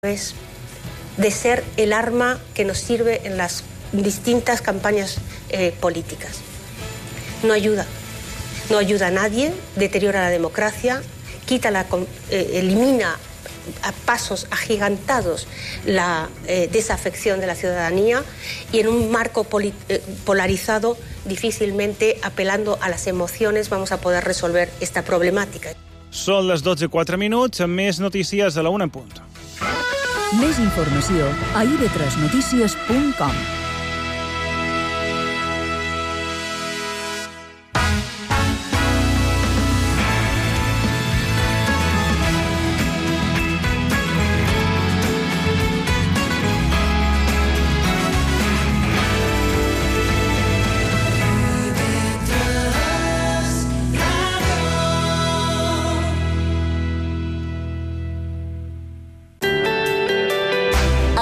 es de ser el arma que nos sirve en las distintas campañas políticas. No ayuda a nadie, deteriora la democracia, elimina a pasos agigantados la desafección de la ciudadanía y en un marco polarizado difícilmente apelando a las emociones vamos a poder resolver esta problemàtica. Són les 12:04, amb més notícies a la 1 en punt. Més informació a ib3notícies.com.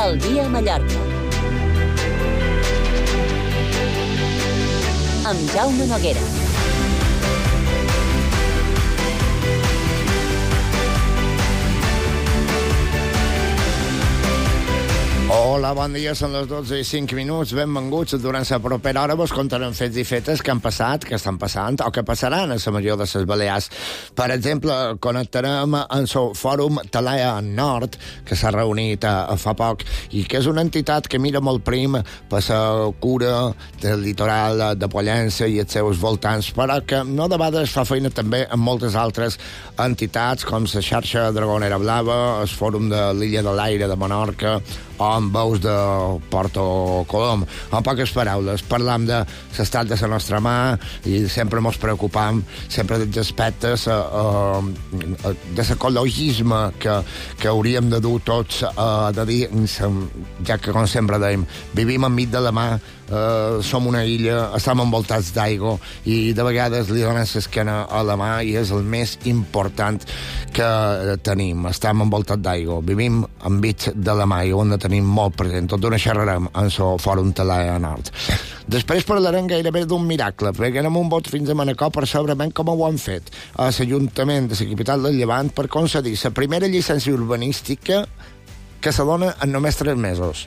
El dia a Mallorca. Amb Jaume Noguera. Hola, bon dia, són les 12:05. Benvinguts. Durant la propera hora vos contarem fets i fetes que han passat, que estan passant o que passaran a la major de les Balears. Per exemple, connectarem amb el Fòrum Talea Nord, que s'ha reunit fa poc i que és una entitat que mira molt prim per la cura del litoral de Pollença i els seus voltants, però que no de vegades fa feina també amb moltes altres entitats com la xarxa Dragonera Blava, el Fòrum de l'Illa de l'Aire de Menorca o amb veus de Porto Colom. En poques paraules, parlam de l'estat de la nostra mà i sempre ens preocupam sempre dels aspectes de l'ecologisme que hauríem de dur tots de dir, ja que com sempre dèiem, vivim enmig de la mà, som una illa, estem envoltats d'aigua i de vegades li donem l'esquena a la mà i és el més important que tenim. Estem envoltats d'aigua, vivim enmig de la mà i ho hem de tenir molt present. Tot d'una xerrarem en el Fòrum Talea Nord. Després parlarem gairebé d'un miracle, perquè anem un vot fins a Manacor per saber ben com ho han fet a l'Ajuntament de la capital del Llevant per concedir la primera llicència urbanística que se dona en només 3 mesos.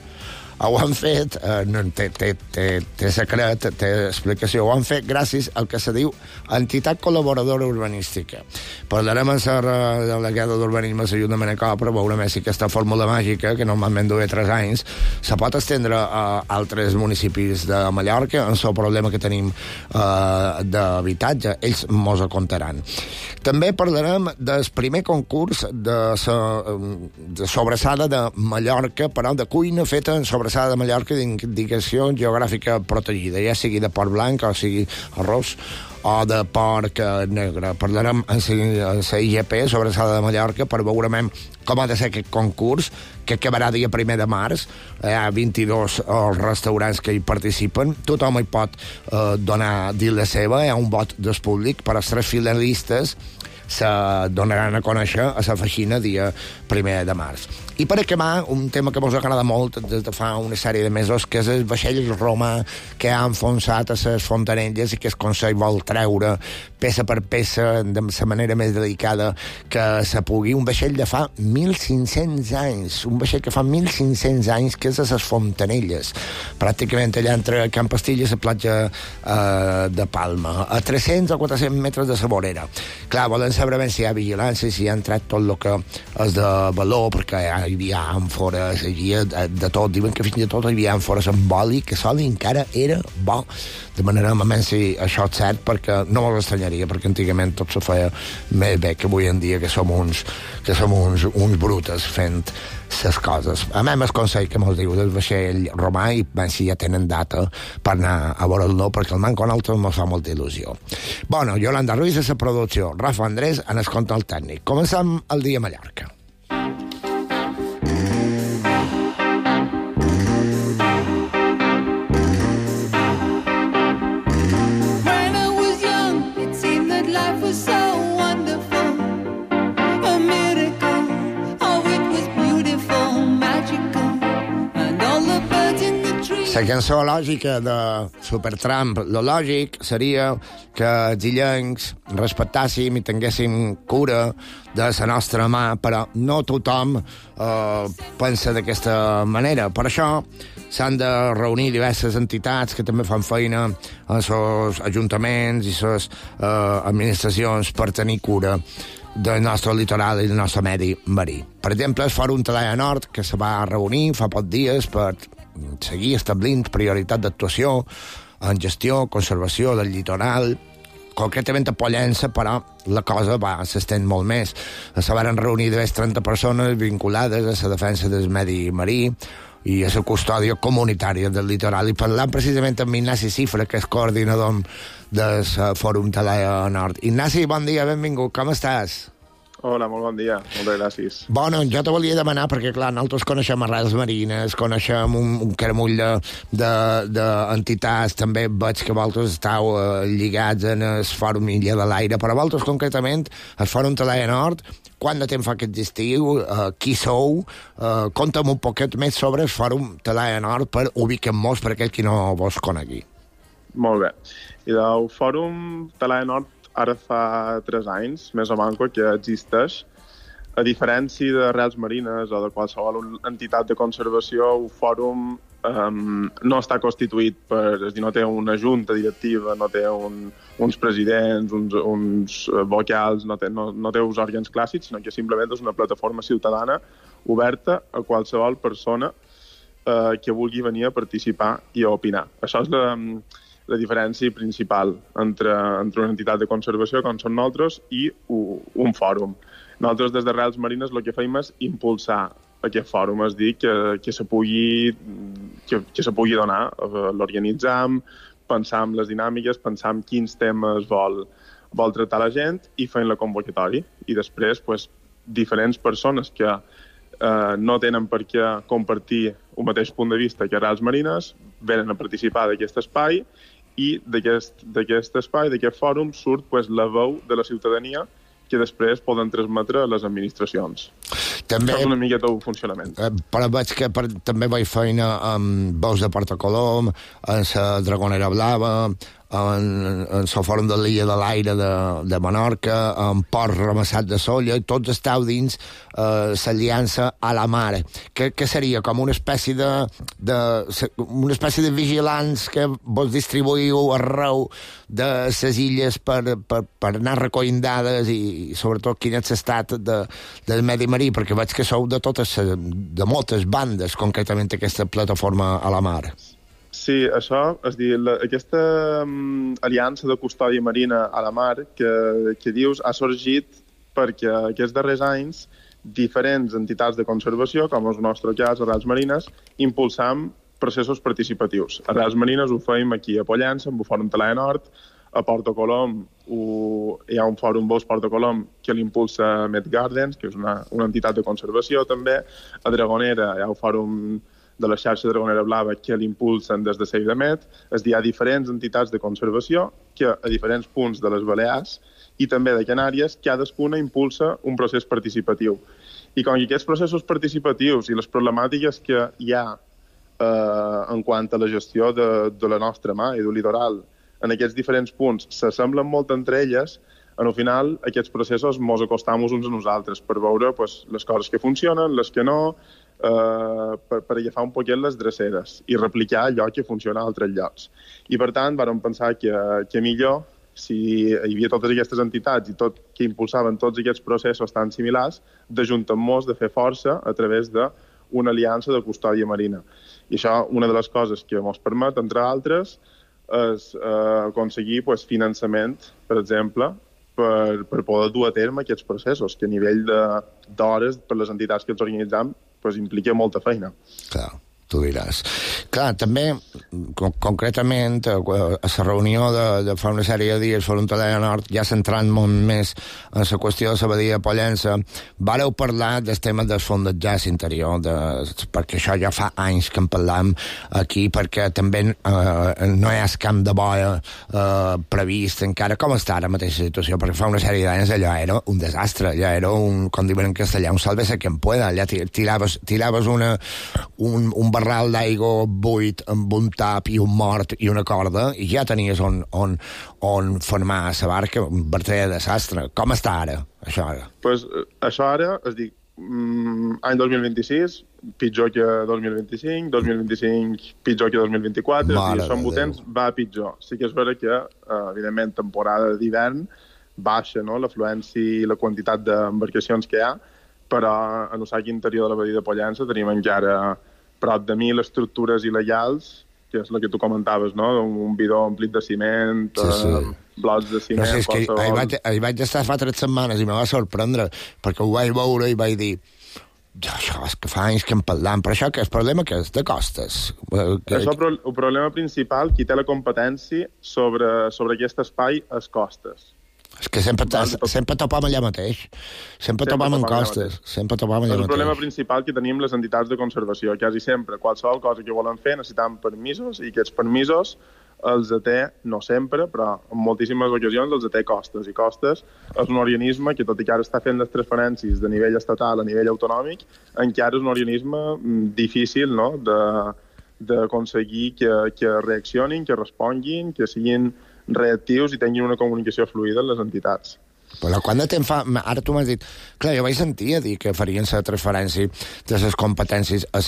Ho han fet, té secret, té explicació, ho han fet gràcies al que se diu entitat col·laboradora urbanística. Parlarem amb la delegada d'urbanisme a l'Ajuntament de Manacor per veure més si aquesta fórmula màgica, que normalment dura 3 anys, se pot estendre a altres municipis de Mallorca en el problema que tenim d'habitatge. Ells mos ho contaran. També parlarem del primer concurs de sobrassada de Mallorca, però de cuina feta en sobrassada de Mallorca d'indicació geogràfica protegida, ja sigui de porc blanc o sigui arròs o de porc negre. Parlarem en la IGP, Sobrassada de Mallorca, per veure com ha de ser aquest concurs, que acabarà dia 1 de març. Hi ha 22 restaurants que hi participen. Tothom hi pot dir la seva. Hi ha un vot del públic, per als 3 finalistes se donaran a conèixer a la feixina dia 1 de març. I per acabar, un tema que mos agrada molt des de fa una sèrie de mesos, que és el vaixell romà que ha enfonsat a les Fontanelles i que el Consell vol treure peça per peça de la manera més delicada que se pugui. Un vaixell de fa 1.500 anys, un vaixell que fa 1.500 anys, que és a les Fontanelles, pràcticament allà entre Can Pastilla i la platja de Palma, a 300 o 400 metres de la vorera. Clar, volen saber ben si hi ha vigilància, si hi ha entrat tot el que és de valor, perquè hi havia àmfores, hi havia de tot. Diuen que fins i tot hi havia àmfores amb oli, que l'oli encara era bo. De manera moment si això és cert, perquè no m'ho estranyaria, perquè antigament tot se feia més bé que avui en dia, que som uns brutes fent les coses. A mi el consell que mos diu del vaixell romà i si ja tenen data per anar a veure'l, perquè el manco nosaltres mos fa molta il·lusió. Bueno, Yolanda Ruiz a la producció, Rafa Andrés en el control tècnic. Comencem el dia a Mallorca. La cançó lògica de Supertramp, lo lògic seria que els illencs respectàssim i tinguéssim cura de la nostra mà, però no tothom pensa d'aquesta manera. Per això s'han de reunir diverses entitats que també fan feina en els ajuntaments i les administracions per tenir cura del nostre litoral i del nostre medi marí. Per exemple, el Fòrum Talaia Nord, que se va reunir fa pocs dies per seguir establint prioritat d'actuació en gestió, conservació del litoral, concretament a Pollença, però la cosa s'estén molt més. Se van reunir diverses 30 persones vinculades a la defensa del medi marí i a la custòdia comunitària del litoral, i parlant precisament amb Ignasi Cifra, que és coordinador del Fòrum Talaia Nord. Ignasi, bon dia, benvingut, com estàs? Hola, molt bon dia, moltes gràcies. Bueno, jo te volia demanar, perquè clar, nosaltres coneixem arrels marines, coneixem un caramull d'entitats, també veig que vosaltres esteu lligats en el Fòrum Illa de l'Aire, però vosaltres concretament, el Fòrum Talaia Nord, quant de temps fa aquest estiu, qui sou, conta'm un poquet més sobre el Fòrum Talaia Nord per ubiquem-nos per aquell qui no vos conegui. Molt bé. I del Fòrum Talaia Nord ara fa 3 anys, més o manco, que existeix. A diferència d'Arrels Marines o de qualsevol entitat de conservació, el fòrum no està constituït és a dir, no té una junta directiva, no té uns presidents, uns vocals, no té uns òrgans clàssics, sinó que simplement és una plataforma ciutadana oberta a qualsevol persona que vulgui venir a participar i a opinar. Això és la diferència principal entre una entitat de conservació, com som nosaltres, i un fòrum. Nosaltres, des d'Arrels Marines, el que fem és impulsar aquest fòrum, és dir, que se pugui donar. L'organitzam, pensar en les dinàmiques, pensar en quins temes vol tractar la gent i fem la convocatòria. I després, diferents persones que no tenen per què compartir un mateix punt de vista que Arrels Marines venen a participar d'aquest espai i d'aquest espai, d'aquest fòrum, surt la veu de la ciutadania que després poden transmetre a les administracions. També, això és una miqueta el funcionament. Però veig que també vaig feina amb veus de Porta Colom, en la Dragonera Blava, en el Fòrum de l'Illa de l'Aire de Menorca, en Port Ramassat de Solla, i tots esteu dins l'aliança a la mar, que seria com una espècie de vigilants que vos distribuïu arreu de les illes per anar recollint dades i sobretot quin és l'estat del medi marí, perquè veig que sou de moltes bandes, concretament aquesta plataforma a la mar. Sí, això, és dir, aquesta aliança de custòdia marina a la mar que dius ha sorgit perquè aquests darrers anys diferents entitats de conservació, com és el nostre cas, Arrels Marines, impulsam processos participatius. Arrels Marines ho fem aquí a Pollença, amb el Fòrum Talaia Nord, a Porta Colom hi ha un fòrum Bosc Porta Colom que l'impulsa Met Gardens, que és una entitat de conservació també. A Dragonera hi ha el fòrum de la xarxa Dragonera Blava que l'impulsen des de Save the Met. És a dir, hi ha diferents entitats de conservació que a diferents punts de les Balears i també de Canàries, cadascuna impulsa un procés participatiu. I com que aquests processos participatius i les problemàtiques que hi ha en quant a la gestió de la nostra mà i del litoral en aquests diferents punts s'assemblen molt entre elles, al final aquests processos mos acostam uns a nosaltres per veure les coses que funcionen, les que no, per agafar un poquet les dreceres i replicar allò que funciona a altres llocs. I per tant vam pensar que millor, si hi havia totes aquestes entitats i que impulsaven tots aquests processos tan similars, d'ajuntar-nos, de fer força a través d'una aliança de custòdia marina. I això, una de les coses que ens permet, entre altres, és aconseguir finançament, per exemple, per poder dur a terme aquests processos, que a nivell d'hores per les entitats que ens organitzam implica molta feina. Clar, tu diràs. Clar, també, concretament, a la reunió de fa una sèrie de dies Fòrum Talaia Nord, ja centrant molt més en la qüestió de la badia de Pollença, vàreu parlar del tema del fondatge interior, perquè això ja fa anys que en parlam aquí, perquè també no hi ha camp de boia previst encara. Com està ara mateixa situació? Perquè fa una sèrie d'anys allò era un desastre, allò era com diuen en castellà, un sálvese quien pueda, allà tiraves un barral d'aigua buit amb un tap i un mort i una corda i ja tenies on formar la barca, un verdader desastre. Com està ara, això ara? Pues, això ara, es dic, any 2026, pitjor que 2025, 2025 pitjor que 2024, és dir, són potents, va pitjor. Sí que és vera que, evidentment, temporada d'hivern baixa, no?, l'afluència i la quantitat d'embarcacions que hi ha, però en el sac interior de la badia de Pollença tenim encara prop de 1.000 estructures il·legals, que és el que tu comentaves, no?, un bidó omplit de ciment, blocs de ciment... No sé, és que hi vaig estar fa 3 setmanes i me va sorprendre, perquè ho vaig veure i vaig dir això és que fa anys que en parlam, però això que és el problema que és de costes. Això, el problema principal, qui té la competència sobre aquest espai, és costes. És que sempre topam allà mateix. Sempre topam en costes. Sempre topam allà mateix. És el problema principal que tenim les entitats de conservació. Quasi sempre, qualsevol cosa que volen fer, necessitem permisos, i aquests permisos els té, no sempre, però en moltíssimes ocasions els té costes. I costes és un organisme que, tot i que ara està fent les transferències de nivell estatal a nivell autonòmic, encara és un organisme difícil, no?, d'aconseguir que reaccionin, que responguin, que siguin reactius i tinguin una comunicació fluida amb les entitats. Però quant de temps fa... Ara tu m'has dit... Clar, jo vaig sentir a dir que farien la transferència de les competències a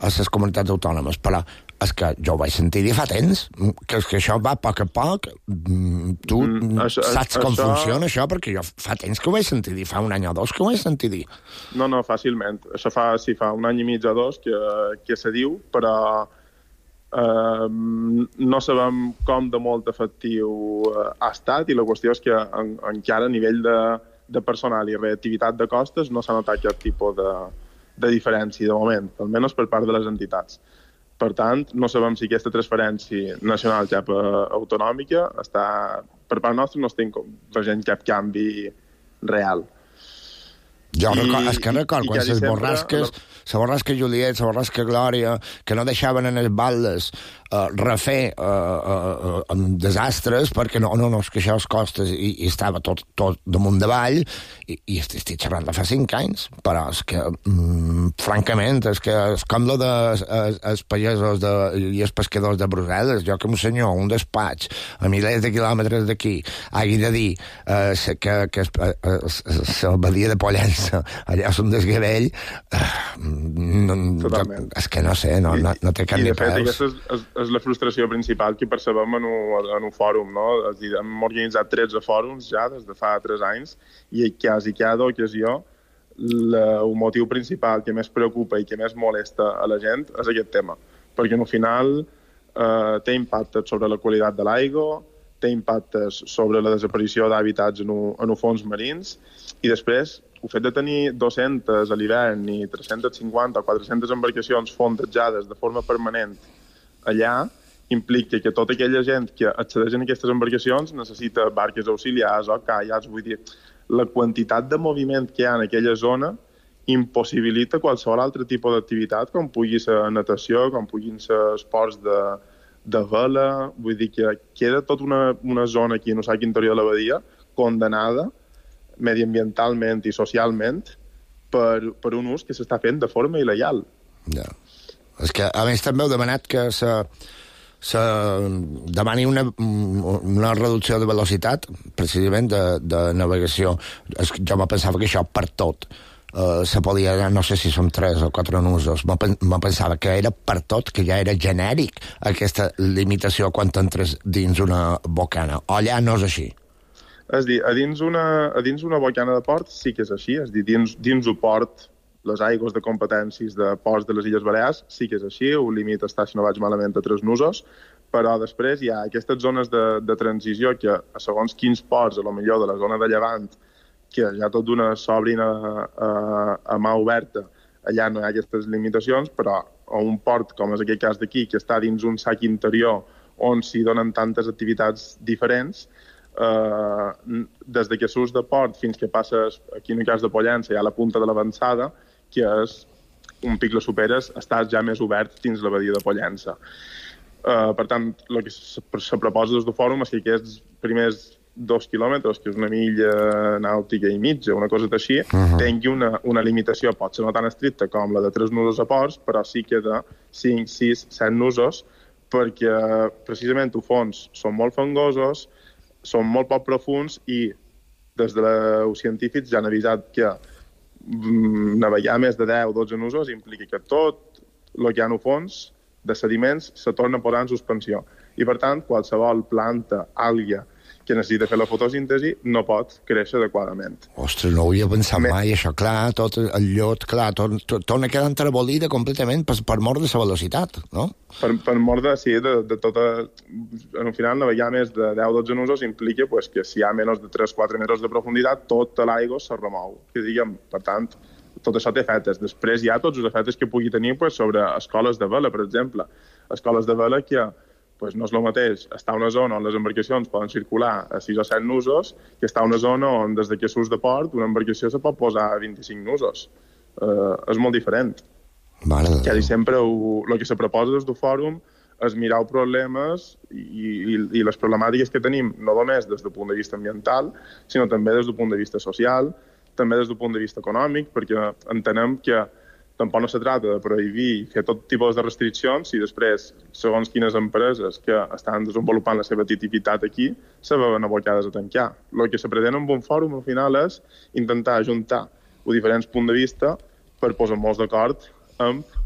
les comunitats autònomes, però és que jo ho vaig sentir dir fa temps, que això va a poc a poc. Tu saps com funciona això? Perquè jo fa temps que ho vaig sentir dir, fa un any o dos que ho vaig sentir dir. No, fàcilment. Això fa un any i mig o dos que se diu, però no sabem com de molt efectiu ha estat, i la qüestió és que encara a nivell de personal i reactivitat de costes no s'ha notat cap tipus de diferència de moment, almenys per part de les entitats. Per tant, no sabem si aquesta transferència nacional cap autonòmica està, per part nostra no estem veient cap canvi real. Jo recordo quan les borrasques, la borrasca Juliet, la borrasca Glòria, que no deixaven en els baldes refer desastres, perquè no, és que això els costes i estava tot damunt davall, i estic xerrant de fa 5 anys, però és que, francament, és com lo dels pagesos i els pescadors de Brussel·les. Jo que un senyor, un despatx, a milers de quilòmetres d'aquí, hagi de dir que la badia de Pollença, allà és un desgavell, és que no sé, no té cap ni peus. És la frustració principal que percebem en un fòrum, no? És dir, hem organitzat 13 fòrums ja des de fa 3 anys, i quasi cada ocasió el motiu principal que més preocupa i que més molesta a la gent és aquest tema, perquè al final té impactes sobre la qualitat de l'aigua, té impactes sobre la desaparició d'hàbitats en els fons marins, i després el fet de tenir 200 a l'hivern i 350 o 400 embarcacions fondejades de forma permanent allà implica que tota aquella gent que accedeix a aquestes embarcacions necessita barques auxiliars o caiacs. Vull dir, la quantitat de moviment que hi ha en aquella zona impossibilita qualsevol altre tipus d'activitat, com pugui ser natació, com puguin ser esports de vela. Vull dir que queda tota una zona aquí en el sac interior de la badia condemnada mediambientalment i socialment per un ús que s'està fent de forma il·legal. Ja. És que, a més, també heu demanat que se demani una reducció de velocitat, precisament de navegació. Jo me pensava que això per tot se podia, no sé si són 3 o 4 nusos, me pensava que era per tot, que ja era genèric aquesta limitació quan entres dins una bocana. O allà no és així? És dir, a dins una bocana de port sí que és així, és dir, dins el port, les aigües de competències de ports de les Illes Balears sí que és així, el límit està, si no vaig malament, a 3 nusos, però després hi ha aquestes zones de transició que, a segons quins ports, a lo millor de la zona de Llevant, que ja tot d'una s'obrin a mà oberta, allà no hi ha aquestes limitacions, però a un port, com és aquest cas d'aquí, que està dins un sac interior on s'hi donen tantes activitats diferents, des de que surts de port fins que passes, aquí en el cas de Pollença, hi ha la punta de l'avançada, que és un pic la superes, estàs ja més obert dins la badia de Pollença. Per tant, el que se proposa des del fòrum és que aquests primers 2 quilòmetres, que és una milla nàutica i mitja, una cosa així, tingui una limitació, pot ser no tan estricta com la de 3 nusos a ports, però sí que de 5, 6, 7 nusos, perquè precisament els fons són molt fangosos, són molt poc profuns i des dels científics ja han avisat que navegar més de 10 o 12 nusos implica que tot el que hi ha al fons de sediments se torna a posar en suspensió. I, per tant, qualsevol planta, àlgia, que necessita fer la fotosíntesi no pot créixer adequadament. Ostres, no ho havia pensat mai, això, clar, tot el llot, clar, torna a quedar entrebolida completament per mort de la velocitat, no? Per mort de tota... Al final, navegar més de 10-12 nusos implica pues, que si hi ha menys de 3-4 metres de profunditat, tota l'aigua se remou. Que diguem, per tant, tot això té efectes. Després hi ha tots els efectes que pugui tenir pues, sobre escoles de vela, per exemple. Escoles de vela que pues no és el mateix estar a una zona on les embarcacions poden circular a 6 o 7 nusos que estar a una zona on des que surts de port una embarcació se pot posar a 25 nusos. És molt diferent. Quasi sempre el que se proposa des del fòrum és mirar els problemes i les problemàtiques que tenim, no només des del punt de vista ambiental, sinó també des del punt de vista social, també des del punt de vista econòmic, perquè entenem que tampoc no se trata de prohibir i fer tot tipus de restriccions i després, segons quines empreses que estan desenvolupant la seva activitat aquí, se veuen abocades a tancar. El que se pretén amb un fòrum, al final, és intentar ajuntar els diferents punts de vista per posar-nos d'acord amb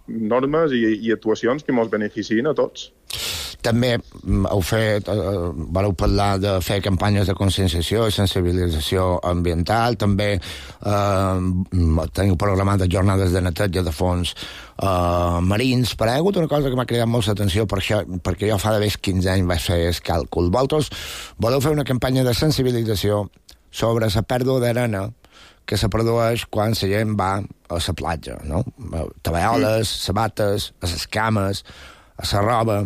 normes i actuacions que ens beneficien a tots. També vareu parlar de fer campanyes de conscienciació i sensibilització ambiental, també teniu programat jornades de neteja de fons marins, però hi ha hagut una cosa que m'ha cridat molt l'atenció perquè jo fa d'haver 15 anys vaig fer el càlcul. Vosaltres voleu fer una campanya de sensibilització sobre la pèrdua d'arena que se produeix quan la gent va a la platja, no? Tovalloles, sabates, a les cames, a la roba.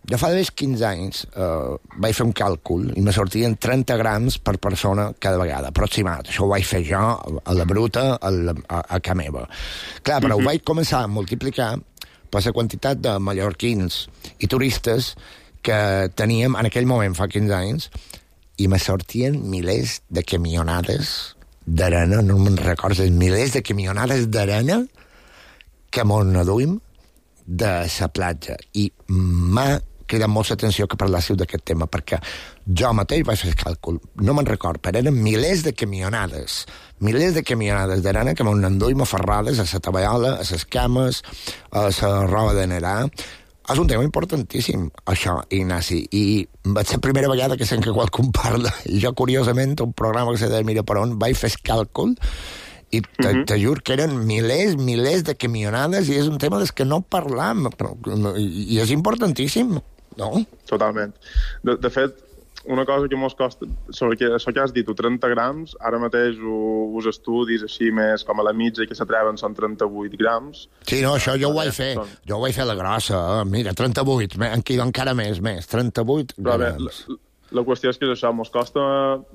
Jo fa d'haver 15 anys vaig fer un càlcul i me sortien 30 grams per persona cada vegada, aproximat. Això ho vaig fer jo a la bruta, a casa meva. Clar, però ho vaig començar a multiplicar per la quantitat de mallorquins i turistes que teníem en aquell moment, fa 15 anys, i me sortien milers de camionades d'arena, no me'n recordo, milers de camionades d'arena que mos n'aduïm de la platja. I m'ha cridat molt l'atenció que parlàssiu d'aquest tema, perquè jo mateix vaig fer el càlcul, no me'n record, però eren milers de camionades d'arena que m'han enduïm aferrades a la tovallola, a les cames, a la roba de nedar. És un tema importantíssim, això, Ignasi, i va ser la primera vegada que sent que qualcú parla. I jo, curiosament, un programa que se deia Mira per on, vaig fer el càlcul i te juro que eren milers de camionades i és un tema des que no parlam i és importantíssim, no? Totalment. De fet, una cosa que mos costa, sobre això que has dit, 30 grams, ara mateix els estudis així més com a la mitja que s'atreven són 38 grams. Sí, no, això jo ho vaig fer. Jo ho vaig fer a la grossa, mira, 38, encara més, 38 grams. La qüestió és que això mos costa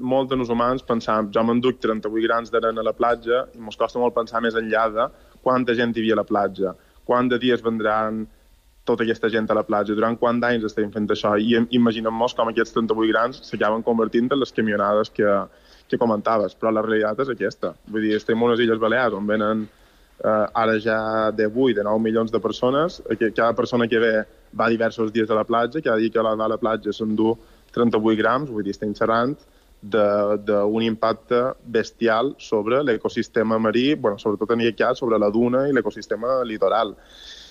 molt a nos humans pensar, jo m'enduc 38 grams d'arena a la platja i mos costa molt pensar més enllà de quanta gent hi havia a la platja, quant de dies vendran tota aquesta gent a la platja, durant quant d'anys estem fent això, i imaginem-nos com aquests 38 grams s'acaben convertint en les camionades que comentaves, però la realitat és aquesta. Vull dir, estem en unes Illes Balears on venen ara ja de 8, de 9 milions de persones, cada persona que ve va diversos dies a la platja, cada dia que va a la platja s'endú 38 grams, vull dir, estem xerrant d'un impacte bestial sobre l'ecosistema marí, bueno, sobretot en aquest cas sobre la duna i l'ecosistema litoral.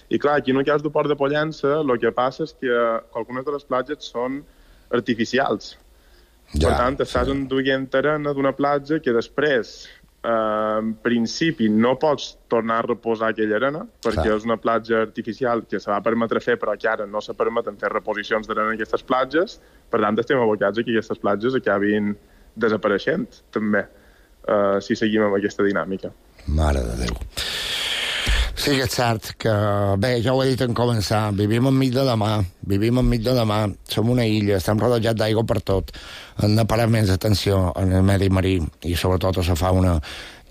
I clar, aquí en el cas del port de Pollença el que passa és que algunes de les platges són artificials. Per tant, estàs enduient arena d'una platja que després, en principi, no pots tornar a reposar aquella arena, perquè és una platja artificial que se va permetre fer, però que ara no se permeten fer reposicions d'arena en aquestes platges. Per tant, estem abocats a que aquestes platges acabin desapareixent, també, si seguim amb aquesta dinàmica. Mare de Déu. Sí que és cert que, bé, ja ho he dit en començar, vivim enmig de la mar, som una illa, estem rodejats d'aigua per tot, hem de parar més atenció en el medi marí i sobretot a la fauna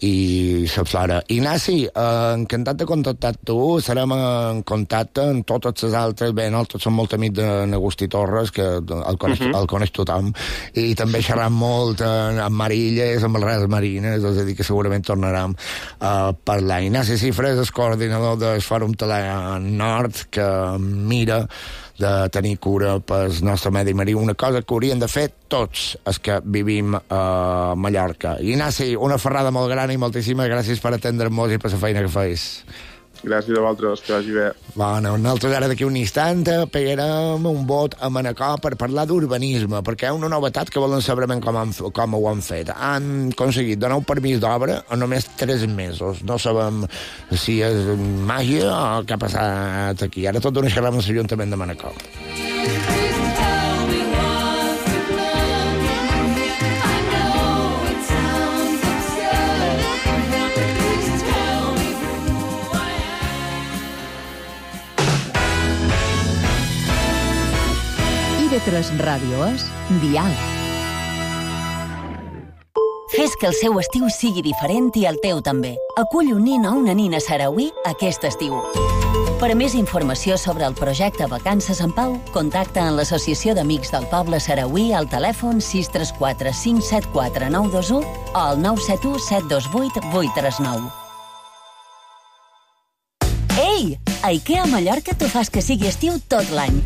i la flora. Ignasi, encantat de contactar tu, serem en contacte amb totes les altres. Bé, nosaltres som molt amics d'Agustí Torres, que el coneix tothom, i també xerram molt amb Marilles, amb les Redes Marines, és a dir, que segurament tornarem a parlar. Ignasi Cifres, el coordinador del Fòrum Talà Nord, que mira de tenir cura pel nostre medi marí, una cosa que haurien de fer tots els que vivim a Mallorca. Ignasi, una ferrada molt gran i moltíssimes gràcies per atendre'ns i per la feina que feis. Gràcies a vosaltres, que vagi bé. Bueno, nosaltres ara d'aquí un instant pegarem un vot a Manacor per parlar d'urbanisme, perquè hi ha una novetat que volen saber com ho han fet. Han aconseguit donar un permís d'obra en només 3 mesos. No sabem si és màgia o què ha passat aquí. Ara tot ho xerrem amb l'Ajuntament de Manacor. IB3 Ràdio és Dial. Fes que el seu estiu sigui diferent i el teu també. Acull un nin o una nina sarauí aquest estiu. Per a més informació sobre el projecte Vacances en Pau, contacta amb l'Associació d'Amics del Poble Sarauí al telèfon 634 574 921 o al 971 728 839. Ei! A IKEA Mallorca t'ho fas que sigui estiu tot l'any.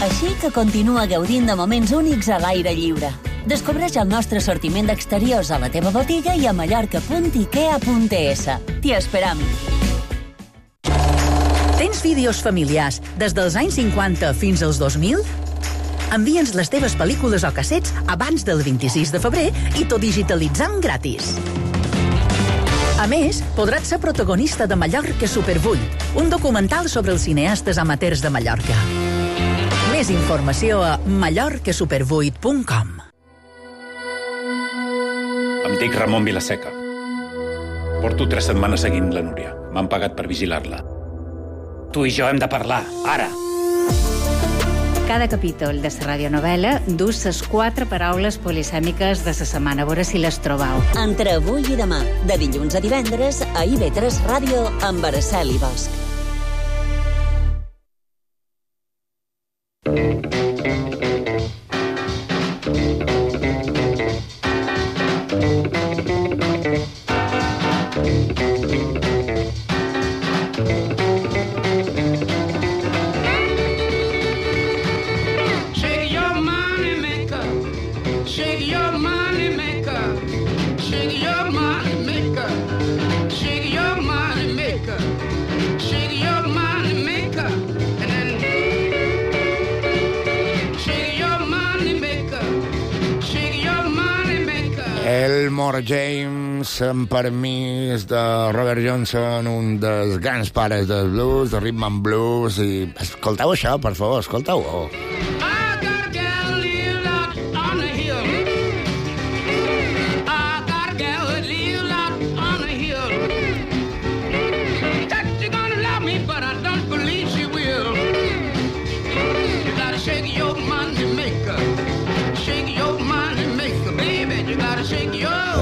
Així que continua gaudint de moments únics a l'aire lliure. Descobreix el nostre assortiment d'exteriors a la teva botiga i a mallorca.ikea.es. T'hi esperam. Tens vídeos familiars des dels anys 50 fins als 2000? Envia'ns les teves pel·lícules o cassets abans del 26 de febrer i t'ho digitalitzam gratis. A més, podràs ser protagonista de Mallorca Super 8, un documental sobre els cineastes amateurs de Mallorca. Més informació a mallorcasuper8.com. Em dic Ramon Vilaseca. Porto 3 setmanes seguint la Núria. M'han pagat per vigilar-la. Tu i jo hem de parlar, ara! Cada capítol de la radionovel·la dus les 4 paraules polisèmiques de la setmana. A veure si les trobau. Entre avui i demà, de dilluns a divendres, a IB3 Ràdio amb Araceli Bosch. Elmore James, amb permís de Robert Johnson, un dels grans pares del blues, de rhythm and blues, i escolteu això, per favor, escolteu-ho.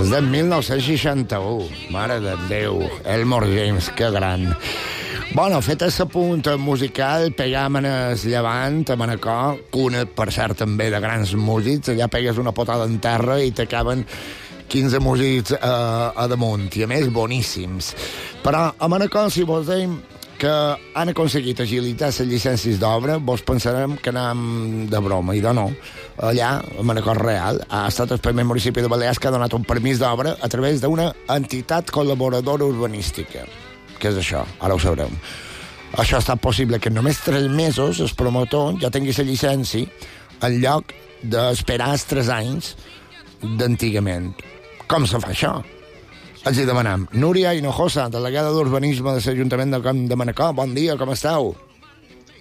És de 1961, mare de Déu, Elmore James, que gran. Bueno, fet el punt musical, pegam en el Llevant, a Manacor, cuna, per cert, també de grans músics, allà pegues una potada en terra i t'acaben 15 músics a damunt, i a més boníssims. Però a Manacor, si vos deim que han aconseguit agilitar les llicències d'obra, vos pensarem que anem de broma, i de no. Allà, a Manacor Real, ha estat el primer municipi de Balears que ha donat un permís d'obra a través d'una entitat col·laboradora urbanística. Què és això? Ara ho sabrem. Això ha estat possible que en només 3 mesos el promotor ja tingui la llicència en lloc d'esperar els 3 anys d'antigament. Com se fa això? Els hi demanem. Núria Hinojosa, delegada d'Urbanisme de l'Ajuntament del Camp de Manacor. Bon dia, com esteu?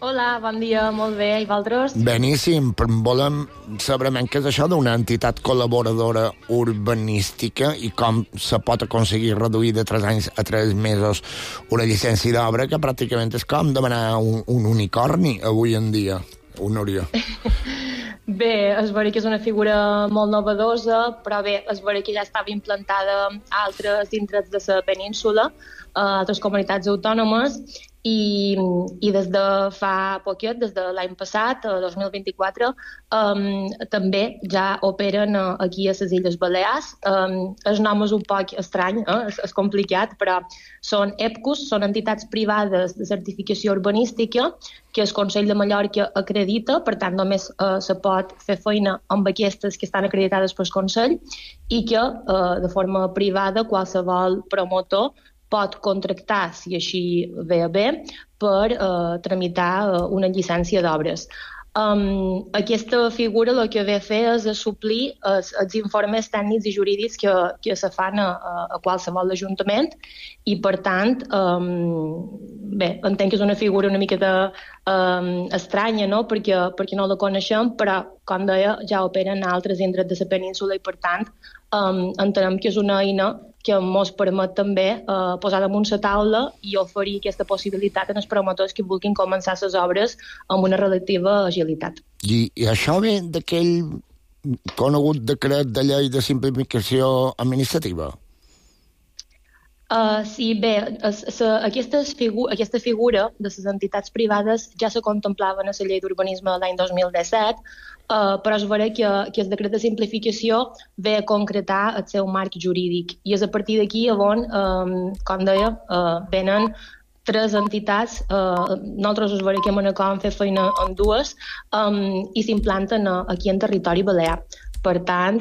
Hola, bon dia, molt bé. I vosaltres? Beníssim. Volem saber què és això d'una entitat col·laboradora urbanística i com se pot aconseguir reduir de 3 anys a 3 mesos una llicència d'obra, que pràcticament és com demanar un unicorni avui en dia. Núria. Bé, és vera que és una figura molt novedosa, però bé, és vera que ja estava implantada a altres indrets de la península, a altres comunitats autònomes, i des de fa poquet, des de l'any passat, 2024, també ja operen aquí a les Illes Balears. El nom és un poc estrany, és complicat, però són EPCUs, són entitats privades de certificació urbanística que el Consell de Mallorca acredita, per tant només se pot fer feina amb aquestes que estan acreditades pel Consell i que de forma privada qualsevol promotor pot contractar, si així ve a bé, per tramitar una llicència d'obres. Aquesta figura el que ve a fer és suplir els informes tècnics i jurídics que se fan a qualsevol ajuntament i, per tant, bé, entenc que és una figura una miqueta estranya, no? perquè no la coneixem, però, com deia, ja operen a altres indrets de la península i, per tant, entenem que és una eina que ens permet també posar damunt la taula i oferir aquesta possibilitat als promotors que vulguin començar les obres amb una relativa agilitat. I això ve d'aquell conegut decret de llei de simplificació administrativa? Sí, bé, aquesta figura de les entitats privades ja se contemplava en la llei d'urbanisme de l'any 2017, però es veurà que el decret de simplificació ve a concretar el seu marc jurídic i és a partir d'aquí on, com deia, venen tres entitats, nosaltres us veurà que a Manacor hem fet feina en dues i s'implanten aquí en territori balear. Per tant,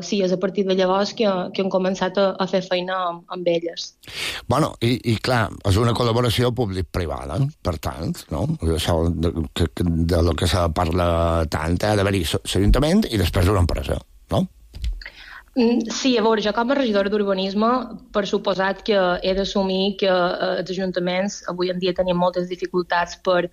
sí, és a partir de llavors que hem començat a fer feina amb elles. Bueno, i clar, és una col·laboració públic-privada, per tant, no? Això de lo que se parla tant, ha d'haver-hi l'Ajuntament i després una empresa, no? Sí, a veure, jo com a regidora d'urbanisme, per suposat que he d'assumir que els ajuntaments avui en dia tenim moltes dificultats per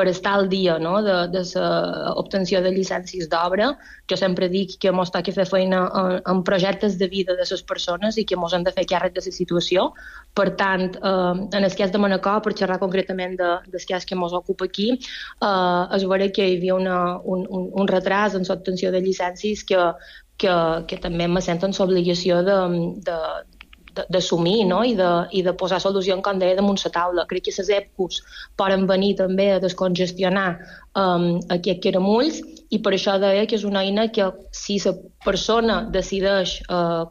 estar al dia, no?, de l'obtenció de llicències d'obra. Jo sempre dic que ens toca fer feina en projectes de vida de les persones i que ens hem de fer càrrec de la situació. Per tant, en el cas de Manacor, per xerrar concretament del cas que ens ocupa aquí, es veurà que hi havia un retras en l'obtenció de llicències que també me senten l'obligació d'assumir, no? I de posar solució, com deia, damunt la taula. Crec que les EPCUs poden venir també a descongestionar aquests caramulls i per això deia que és una eina que si la persona decideix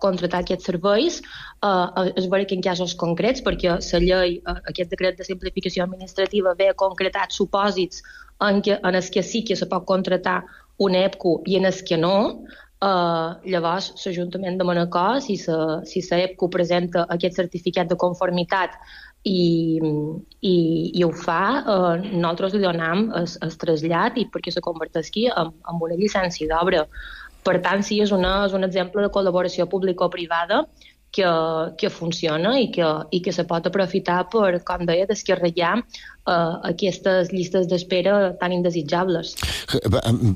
contractar aquests serveis es veurà que en casos concrets, perquè la llei, aquest decret de simplificació administrativa ve a concretar supòsits en els que sí que se pot contractar un EPCU i en els que no. Llavors, l'Ajuntament de Manacor, si la EPCU presenta aquest certificat de conformitat i ho fa, nosaltres li donem el trasllat i perquè se converteixi en una llicència d'obra. Per tant, sí, és un exemple de col·laboració público-privada que funciona i que se pot aprofitar per, com deia, descarregar aquestes llistes d'espera tan indesitjables.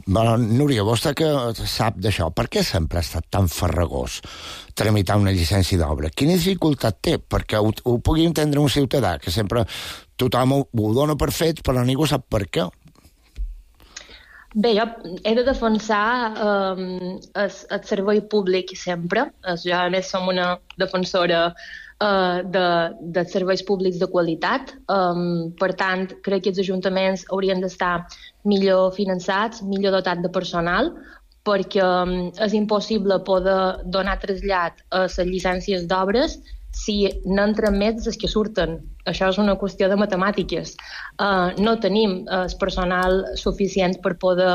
Núria, vostè que sap d'això, per què sempre ha estat tan farragós tramitar una llicència d'obra? Quina dificultat té? Perquè ho pugui entendre un ciutadà, que sempre tothom ho dona per fet, però ningú sap per què. Bé, jo he de defensar el servei públic sempre. Jo, a més, som una defensora de serveis públics de qualitat. Per tant, crec que els ajuntaments haurien d'estar millor finançats, millor dotats de personal, perquè és impossible poder donar trasllat a les llicències d'obres si n'entren més dels que surten. Això és una qüestió de matemàtiques. No tenim el personal suficient per poder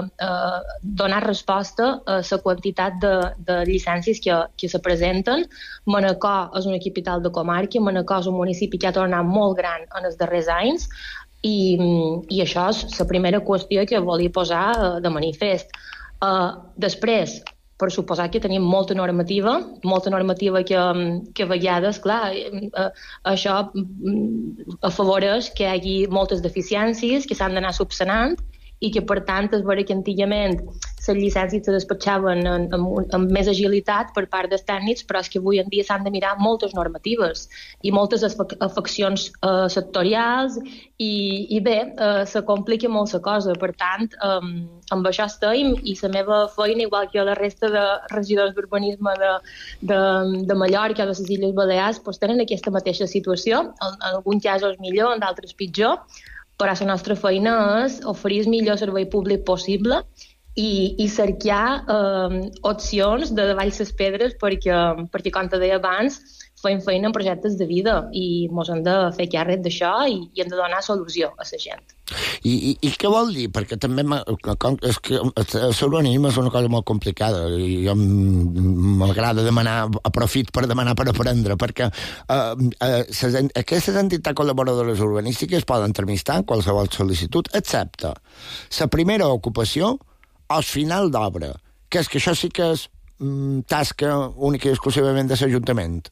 donar resposta a la quantitat de llicències que se presenten. Manacor és una capital de comarca, Manacor és un municipi que ha tornat molt gran en els darrers anys i això és la primera qüestió que volia posar de manifest. Després, per suposar que tenim molta normativa que a vegades, clar, això afavoreix que hi hagi moltes deficiències que s'han d'anar subsanant i que, per tant, és vera que antigament les llicències se despatxaven amb més agilitat per part dels tècnics, però és que avui en dia s'han de mirar moltes normatives i moltes afeccions sectorials i bé, se complica molt la cosa. Per tant, amb això estem i la meva feina, igual que la resta de regidors d'urbanisme de Mallorca o de les Illes Balears, doncs tenen aquesta mateixa situació, en alguns casos millor, en d'altres pitjor, però la nostra feina és oferir el millor servei públic possible i cercar opcions de davall les pedres perquè, com te deia abans, fem feina en projectes de vida i ens hem de fer càrrec d'això i hem de donar solució a la gent. I què vol dir? Perquè també és que l'urbanisme és una cosa molt complicada i jo m'agrada demanar, aprofit per demanar per aprendre, perquè aquestes entitats col·laboradores urbanístiques poden entrevistar qualsevol sol·licitud, excepte la primera ocupació o el final d'obra, que és que això sí que és tasca única i exclusivament de l'Ajuntament.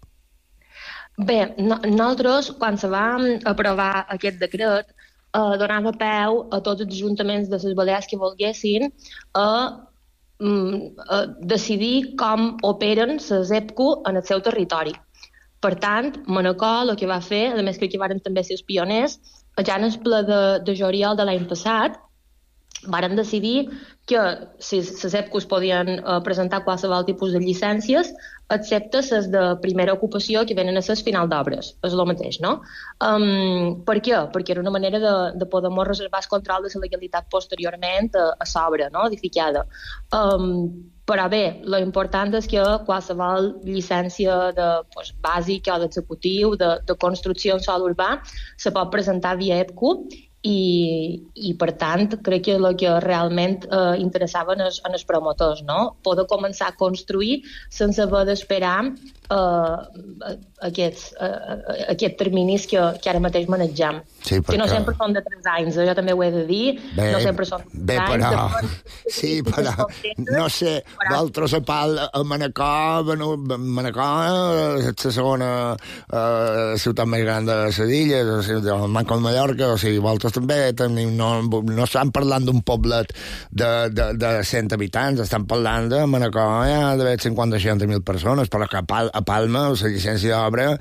Bé, nosaltres, quan se va aprovar aquest decret, donava peu a tots els ajuntaments de les Balears que volguessin a decidir com operen les EPCO en el seu territori. Per tant, Manacor el que va fer, a més crec que varen també ser els pioners, ja en el ple de juliol de l'any passat, varen decidir que les EPCOs podien presentar qualsevol tipus de llicències, excepte les de primera ocupació que venen a ser final d'obres. És el mateix, no? Per què? Perquè era una manera de poder reservar el control de la legalitat posteriorment a l'obra, no?, edificada. Però bé, l'important és que qualsevol llicència bàsica o d'executiu, de construcció en sòl urbà, se pot presentar via EPCO i per tant, crec que el que realment interessava en els promotors, no? Poder començar a construir sense haver d'esperar aquests terminis que ara mateix manegem. Sí, perquè... Que no sempre són de 3 anys, jo també ho he de dir, no sempre són de 3 anys. Però... Sí, però no sé, d'altres a Manacor, Manacor és la segona ciutat més gran de les illes, el Manco de Mallorca, o sigui, vosaltres també tenim, no estan parlant d'un poblet de 100 habitants, estan parlant de Manacor, hi ha d'haver 50-60.000 persones, però que a Palma, la llicència d'obra,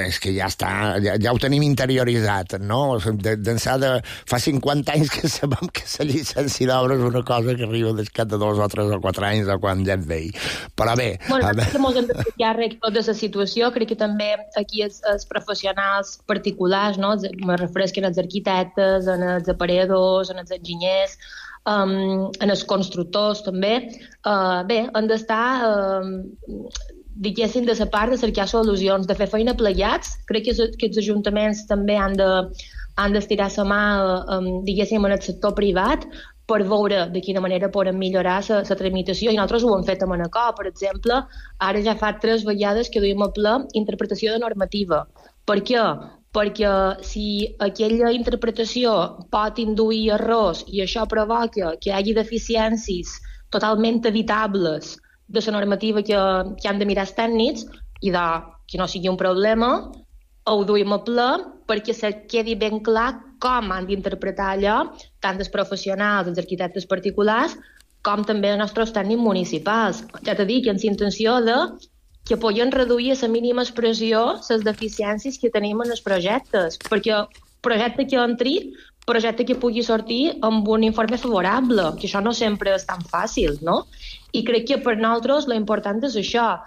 és que ja està, ja ho tenim interioritzat, no? D'ençà de fa 50 anys que sabem que la llicència d'obra és una cosa que arriba després de 2 o 3 o 4 anys de quan ja et veig. Però bé... Bueno, que mos hem de fer càrrec de la situació, crec que també aquí els professionals particulars, no? Me refresquen els arquitectes, en els aparelladors, en els enginyers, en els constructors també, bé, han d'estar diguéssim de la part de cercar solucions, de fer feina plegats. Crec que els ajuntaments també han d'estirar la mà, diguéssim, en el sector privat per veure de quina manera poden millorar la tramitació, i nosaltres ho hem fet a Manacor, per exemple. Ara ja fa 3 vegades que duim a ple interpretació de normativa. Per què? Perquè si aquella interpretació pot induir errors i això provoca que hi hagi deficiències totalment evitables de la normativa que han de mirar els tècnics i que no sigui un problema, ho duim a ple perquè se quedi ben clar com han d'interpretar allò tant els professionals, els arquitectes particulars, com també els nostres tècnics municipals. Ja t'he dit que amb la intenció que podien reduir a la mínima expressió les deficiències que tenim en els projectes, perquè projecte que entri, projecte que pugui sortir amb un informe favorable, que això no sempre és tan fàcil, no? I crec que per nosaltres l'important és això,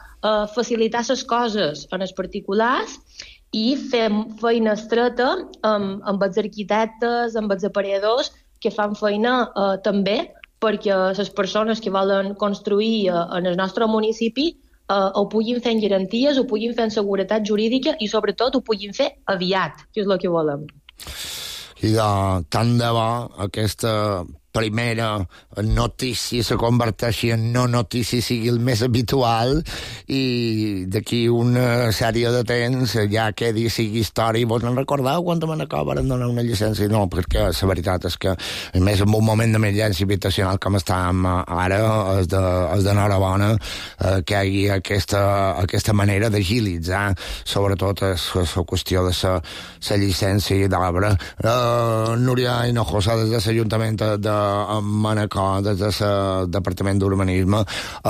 facilitar les coses en els particulars i fer feina estreta amb els arquitectes, amb els aparelladors, que fan feina també perquè les persones que volen construir en el nostre municipi ho puguin fer en garanties, ho puguin fer en seguretat jurídica i sobretot ho puguin fer aviat, que és el que volem. I tant de bo aquesta primera notícia se converteixi en no notícia, sigui el més habitual, i d'aquí una sèrie de temps ja quedi, sigui història. Vos en recordeu quan a Manacor van donar una llicència? No, perquè la veritat és que, a més, en un moment d'emergència habitacional com estàvem ara, és d'enhorabona que hi hagi aquesta manera d'agilitzar, sobretot la qüestió de la llicència d'obra. Núria Hinojosa, des de l'Ajuntament de Manacor, des del Departament d'Urbanisme.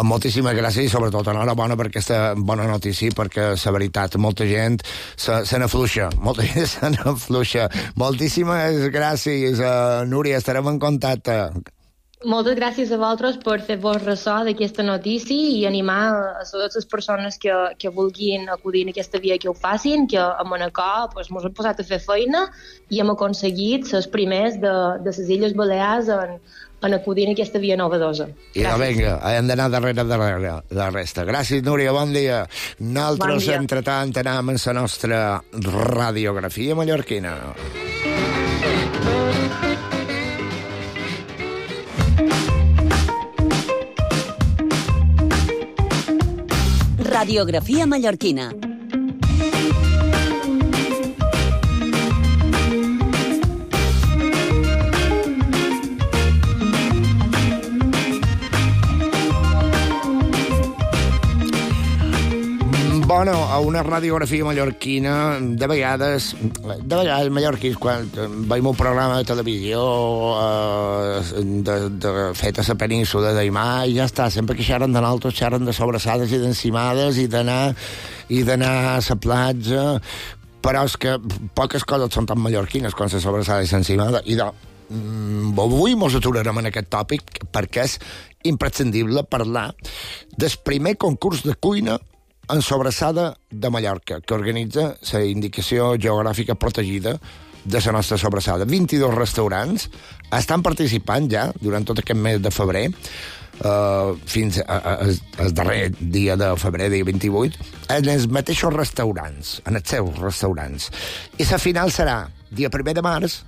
Moltíssimes gràcies i sobretot enhorabona per aquesta bona notícia, perquè la veritat, molta gent se n'afluixa, molta gent se n'afluixa. Moltíssimes gràcies, Núria, estarem en contacte. Moltes gràcies a vosaltres per fer-vos ressò d'aquesta notícia i animar a totes les persones que vulguin acudir en aquesta via que ho facin, que a Manacor mos hem posat a fer feina i hem aconseguit ser els primers de les Illes Balears en acudir en aquesta via novedosa. I vinga, hem d'anar darrere la resta. Gràcies, Núria, bon dia. Nosaltres, entretant, anem en la nostra radiografia mallorquina. Radiografia mallorquina. Bueno, a una radiografia mallorquina, de vegades mallorquins, quan veiem un programa de televisió fet a la península d'Aimà, i ja està, sempre que xerren de nosaltres, xerren de sobrassades i d'encimades i d'anar a la platja, però és que poques coses són tan mallorquines com la sobrassada i l'encimada, i avui ens aturarem en aquest tòpic perquè és imprescindible parlar del primer concurs de cuina en sobrassada de Mallorca, que organitza la Indicació Geogràfica Protegida de la nostra sobrassada. 22 restaurants estan participant ja durant tot aquest mes de febrer, fins al darrer dia de febrer, dia 28, en els mateixos restaurants, en els seus restaurants. I la final serà dia 1 de març,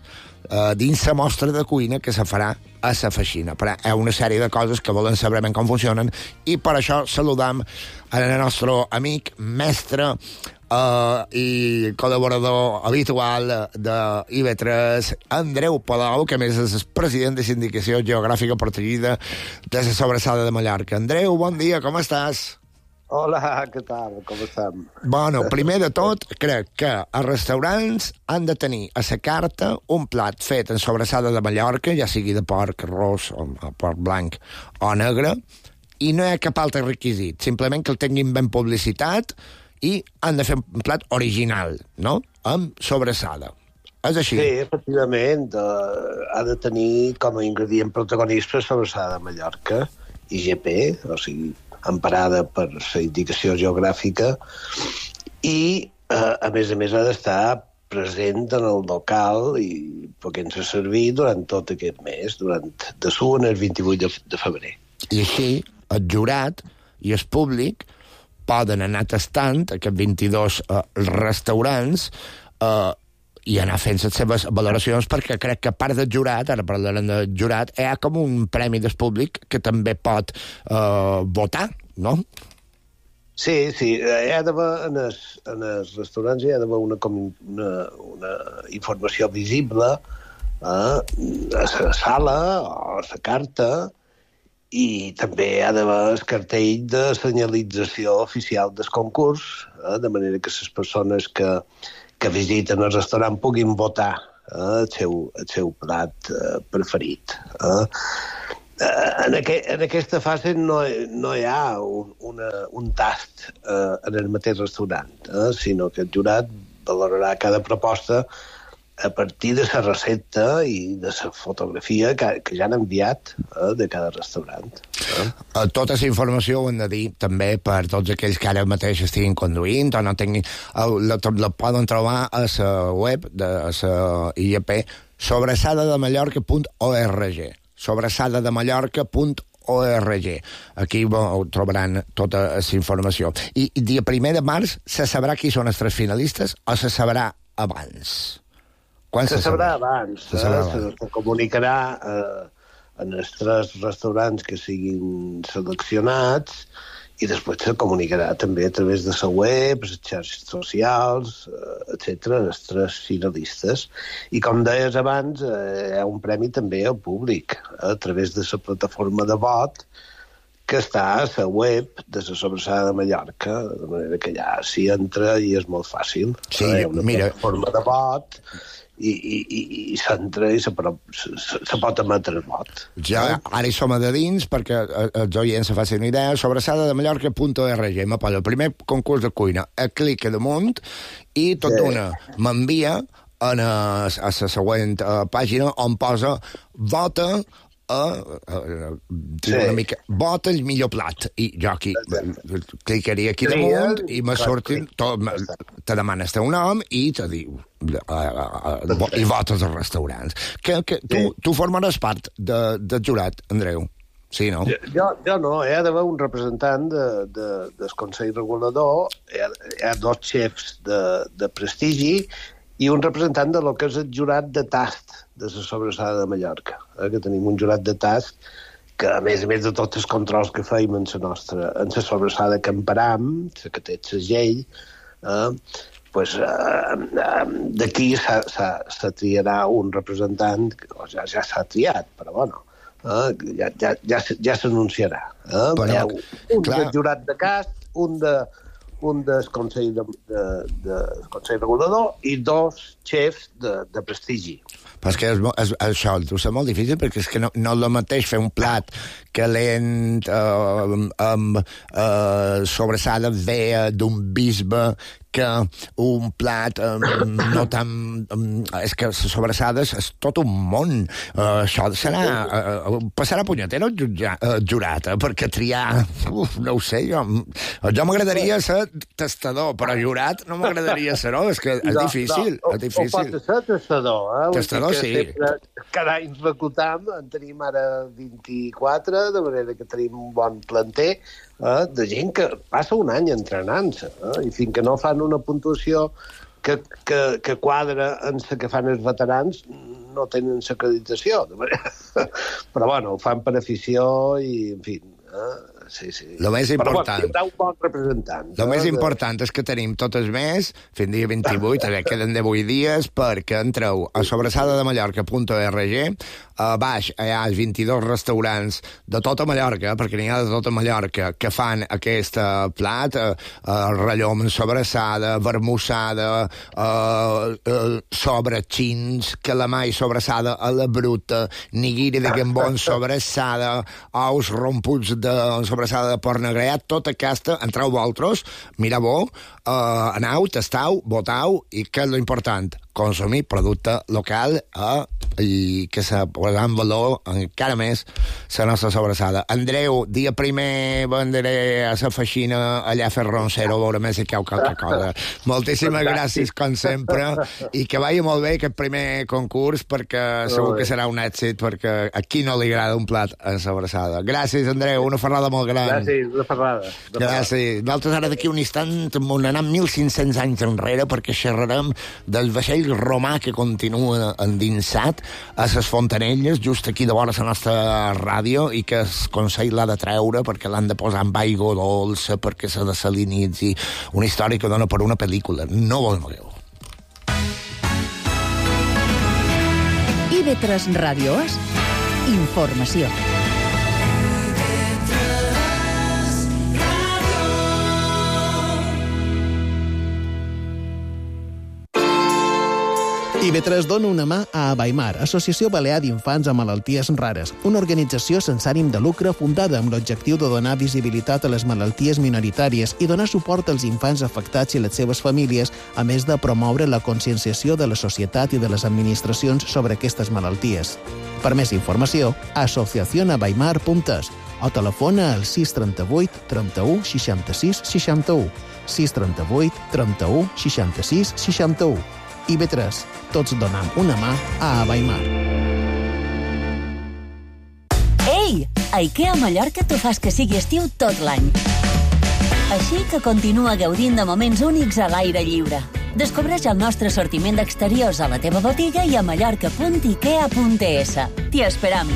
dins la mostra de cuina que se farà a la Feixina. Però hi ha una sèrie de coses que volen saber ben com funcionen i per això saludam el nostre amic, mestre i col·laborador habitual de IB3, Andreu Palau, que a més és el president de la Indicació Geogràfica Protegida de la Sobrassada de Mallorca. Andreu, bon dia, com estàs? Hola, què tal? Com estem? Bueno, primer de tot, crec que els restaurants han de tenir a la carta un plat fet en sobrassada de Mallorca, ja sigui de porc, arròs, o porc blanc o negre, i no hi ha cap altre requisit, simplement que el tinguin ben publicitat i han de fer un plat original, no?, amb sobrassada. És així? Sí, efectivament, ha de tenir com a ingredient protagonista sobrassada de Mallorca, IGP, o sigui, emparada per la indicació geogràfica, i, a més, ha d'estar present en el local i podent-se servir durant tot aquest mes, de suan el 28 de febrer. I així, el jurat i el públic poden anar tastant aquests 22 restaurants i anar fent les seves valoracions, perquè crec que a part del jurat, ara parlarem del jurat, hi ha com un premi del públic que també pot votar, no? Sí, hi ha d'haver en els restaurants hi ha d'haver una informació visible a la sala o a la carta, i també hi ha d'haver el cartell de senyalització oficial del concurs, de manera que les persones que visiten el restaurant puguin votar el seu plat preferit. En aquesta fase no hi ha un tast en el mateix restaurant, sinó que el jurat valorarà cada proposta a partir de la recepta i de la fotografia que ja han enviat de cada restaurant. Tota la informació ho hem de dir també per tots aquells que ara mateix estiguin conduint o no tinguin... La poden trobar a la web de la IEP, sobressadademallorca.org, sobressadademallorca.org. Aquí ho trobaran tota la informació. I dia 1 de març se sabrà qui són els 3 finalistes o se sabrà abans? Se sabrà abans. Se comunicarà en els 3 restaurants que siguin seleccionats i després se comunicarà també a través de la web, les xarxes socials, etc., els 3 finalistes. I com deies abans, hi ha un premi també al públic a través de la plataforma de vot que està a la web de la Sobrassada de Mallorca, de manera que ja s'hi entra i és molt fàcil. Sí, hi ha una plataforma de vot i s'entra i se pot emetre el vot. Ja, ara hi som a de dins, perquè els oients se facin una idea. Sobresadademallorca.org m'aposa el primer concurs de cuina, clica damunt i tot d'una m'envia a la següent pàgina on posa vota una mica, vota el millor plat, i jo aquí clicaria aquí damunt i me surtin te demanes teu nom i te diu i votes als restaurants. Tu formaràs part del jurat, Andreu? Sí, no? Jo no, hi ha d'haver un representant del Consell Regulador, hi ha 2 xefs de prestigi i un representant de lo que és el jurat de tast de la Sobrassada de Mallorca, que tenim un jurat de tast que, a més de tots els controls que feim en la Sobrassada que emparam, que té el segell, d'aquí se triarà un representant, o ja s'ha triat, però bueno, ja s'anunciarà. Hi ha un del jurat de cast, un del Consell Regulador i 2 xefs de prestigi. Però és que això és molt difícil, perquè és que no és el mateix fer un plat calent amb sobrassada vea d'un bisbe que un plat no tan... És que les sobrassades és tot un món. Això serà... Passarà punyetera el jurat, perquè triar... No ho sé, jo m'agradaria ser testador, però jurat no m'agradaria ser-ho, és que és difícil. O pot ser testador, Testador, sí. Cada any reclutam, en tenim ara 24, de manera que tenim un bon planter de gent que passa un any entrenant-se, i fins que no fan una puntuació que quadra en la que fan els veterans, no tenen l'acreditació. Però, bueno, ho fan per afició i, en fi... Sí. Lo més important... Però tindrà un bon representant. Lo més important és que tenim tot el mes, fins dia 28, queden 18 dies, perquè entreu a sobresadademallorca.org, a baix hi ha 22 restaurants de tota Mallorca, perquè n'hi ha de tota Mallorca, que fan aquest plat, rellom en sobrassada, vermussada, sobratxins, calamai sobrassada a la bruta, nigiri de gambó en sobrassada, ous romputs de sobrassada de porc negreat, tota aquesta, entreu vosaltres, mireu-ho, aneu, tastau, votau, i què és l'important? Consumir producte local i que se posarà en valor encara més la nostra sobrassada. Andreu, dia primer vendré a la feixina allà a fer roncero, a veure més si cau qualque cosa. Moltíssimes gràcies, com sempre, i que vagi molt bé aquest primer concurs, perquè segur que serà un èxit, perquè a qui no li agrada un plat en sobrassada. Gràcies, Andreu, una ferrada molt gran. Gràcies, una ferrada. Gràcies. Nosaltres ara d'aquí un instant anem 1.500 anys enrere, perquè xerrarem del vaixell romà que continua endinsat a les Fontanelles, just aquí de vora la nostra ràdio, i que el Consell l'ha de treure perquè l'han de posar amb aigua dolça, perquè s'ha de salinitzi. Una història que dona per una pel·lícula. No ho veureu. IB3 Ràdio És informació. IB3 dona una mà a Abaimar, Associació Balear d'Infants amb Malalties Rares, una organització sense ànim de lucre fundada amb l'objectiu de donar visibilitat a les malalties minoritàries i donar suport als infants afectats i les seves famílies, a més de promoure la conscienciació de la societat i de les administracions sobre aquestes malalties. Per més informació, asociacionabaimar.es o telefona al 638 31 66 61, 638 31 66 61. IB3, tots donam una mà a Abaimar. Ei! A IKEA Mallorca t'ho fas que sigui estiu tot l'any. Així que continua gaudint de moments únics a l'aire lliure. Descobreix el nostre assortiment d'exteriors a la teva botiga i a mallorca.ikea.es. T'hi esperam!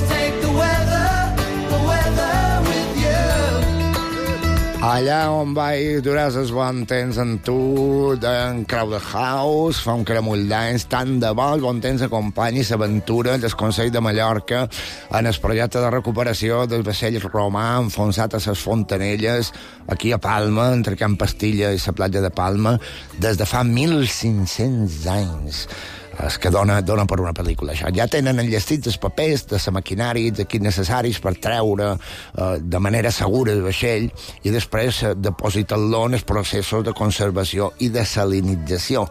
Take Allà on vaig durar el bon temps amb tu, en Crowded House, fa un caramull d'anys, tant de bo el bon temps acompanyi l'aventura del Consell de Mallorca en el projecte de recuperació del vaixell romà enfonsat a les Fontanelles, aquí a Palma, entre Can Pastilla i la platja de Palma, des de fa 1.500 anys. És que dona per una pel·lícula, això. Ja tenen enllestits els papers de la maquinària, els equips necessaris per treure de manera segura el vaixell i després depositar-lo en els processos de conservació i de salinització.